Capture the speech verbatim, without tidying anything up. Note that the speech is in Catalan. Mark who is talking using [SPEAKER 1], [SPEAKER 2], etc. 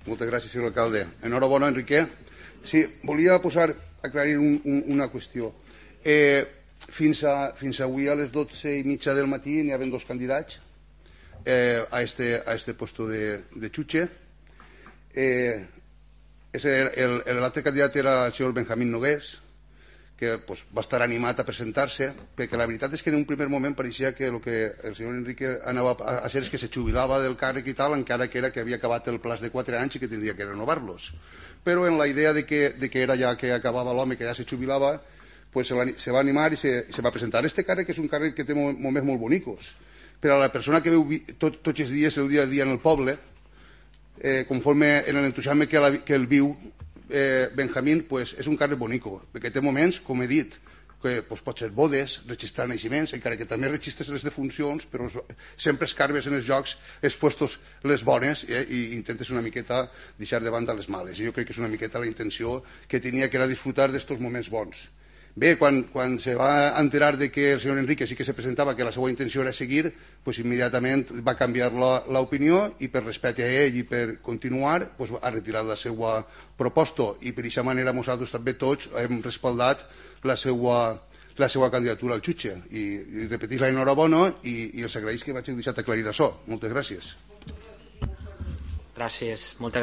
[SPEAKER 1] Moltes gràcies, senyor alcalde. Enhorabona, Enrique. Sí, volia posar, aclarir un, un, una qüestió. Eh, fins, a, fins avui a les dotze i mitja del matí n'hi havia dos candidats eh, a, este, a este puesto de, de xutxe. Eh, l'altre candidat era el senyor Benjamín Nogués, que pues, va estar animat a presentar-se, perquè la veritat és que en un primer moment pareixia que el que el senyor Enrique anava a ser és que se jubilava del càrrec i tal, encara que era que havia acabat el plaç de quatre anys i que tindria que renovar-los. Però en la idea de que, de que era ja que acabava l'home, que ja se jubilava, pues se, va, se va animar i se, se va presentar. Este càrrec és un càrrec que té moments molt bonicos. Però a la persona que veu tot, tots els dies, el dia a dia en el poble, eh, conforme en l'entusiasme que, la, que el viu, Eh, Benjamín pues, és un càrrec bonico, perquè té moments, com he dit, que pues, pot ser bodes, registrar naixements, encara que també registres les defuncions, però sempre escarbes en els jocs els puestos les bones eh, i intentes una miqueta deixar de banda les males. I jo crec que és una miqueta la intenció que tenia, que era disfrutar d'estos moments bons. Bé, quan, quan se va enterar de que el senyor Enrique sí que se presentava, que la seva intenció era seguir, pues immediatament va canviar l'opinió i per respecte a ell i per continuar pues, ha retirat la seva proposta i per aquesta manera nosaltres també tots hem respaldat la seva, la seva candidatura al xutxe i, i repetir la enhorabona i, i els agraïs que vaig deixar aclarir això. Moltes gràcies.
[SPEAKER 2] Gràcies, moltes gràcies.